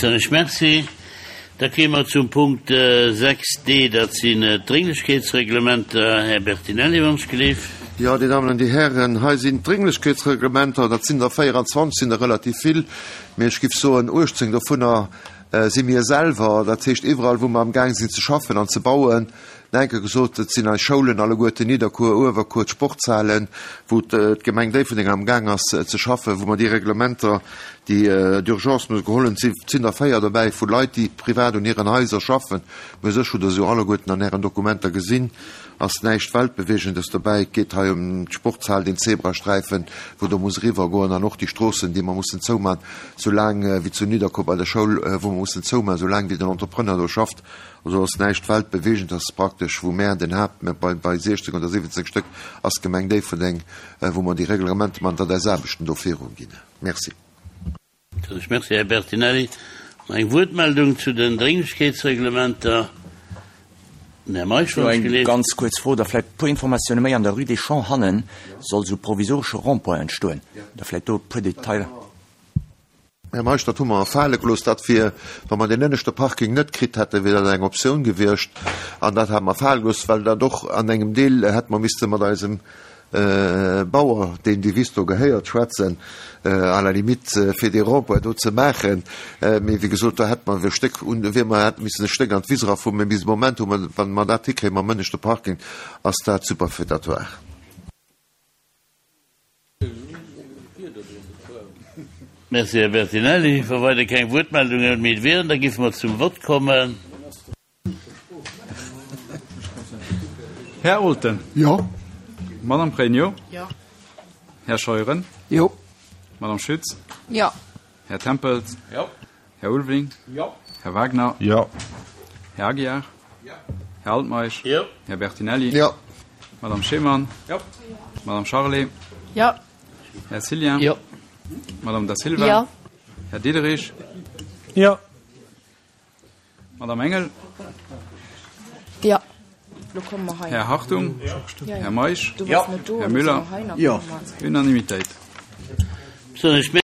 Soen ech Merci. Da kéime mer zum Punkt 6d, dat sinn d'Drénglechkeetsreglementer. Här Bertinelli, wann ech gleef. Jo, Dir Dammen an Dir Hären, hei sinn d'Drénglechkeetsreglementer. Dat sinn der 24, sinn der relativ vill, mee ech géif soen, 18 dovunner si mir selwer. Dat heescht, iwwerall, wou mer amgaang sinn ze schaffen an ze bauen, Enke gesot, et sinn eis Schoulen alleguerten, Nidderkuer, Uewerkuer, d'Sportshalen, wou d'Gemeng Déifferdeng amgaang ass ze schaffen, wou mer déi Reglementer, déi d'urgence musse geholl hunn. Et sinn der 4 dobäi vu Leit, déi privat un hiren Haiser schaffen. Mä u sech hutt Der se jo alleguerten an Ären Dokumenter gesinn, ass näischt Weltbewegendes dobäi. Et geet hei ëm d'Sportshal, den Zebrasträifen, wou do muss eriwwergoen, an och déi Stroossen, déi mer mussen zouman, soulaang wéi zu Nidderkuer bei der Schoul, wou mer mussen zouman, soulaang wéi den Entrepreneur do schafft. Also ass näischt Weltbewegendes, ass praktesch, wou mär den Haapt, mä bei, bei 16 oder 17 Stéck ass d'Gemeng Déifferdeng, wou mer déi Reglementer man, datt eis Aarbechten do viruginn. Merci. Ech merci, Här Bertinelli. Nach eng Wuertmeldung zu den Drénglechkeetsreglementer? Den Här Meisch, Jo, wann ech eng geleeft. ganz kuerz Fro, da vläicht e puer Informatioune méi. An der Rue des Champs hannen soll esou provisoresche Rond-point entstoen. Da vläicht do e puer Detailer. Här Meisch, dat hu mer erfale gelooss. Dat wier, wa mer deen ënneschte Parking net kritt hätten, wier dat eng Optioun gewiescht. An dat hate mer fale gelooss, well dat och an engem Deel hätte mer misste mat eisem Bauer, deem déi Wiss do gehéiert, schwätzen, à la limite, fir dee Rond-point do ze maachen. Mee wéi gesot, do hätte mer e Stéck un, wier mer, hätte missen e Stéck an d'Wiss erafueren. Mee bis de Moment hu mer, wa mer dat hikréie mam ënneschte Parking, ass dat superfétatoire. Merci, Här Bertinelli. Wa weider keng Wuertmeldungen méi wieren, da géife mer zum Vott kommen. Här Olten. Jo. Madame Pregno. Jo. Här Scheuren. Jo. Madame Schütz. Jo. Här Tempels. Jo. Här Ulveling. Jo. Här Wagner. Jo. Här Aguiar. Jo. Här Altmeisch. Jo. Här Bertinelli. Jo. Madame Schemann. Jo. Madame Charlé. Jo. Här Cillien. Jo. Madame Da Silva. Jo. Här Diderich. Jo. Madame Engel. Jo. Lo komme mer hei. Här Hartung. Jo. Här Meisch. Du bass net do. Här Müller. Jo. Unanimitéit. Besonnesch.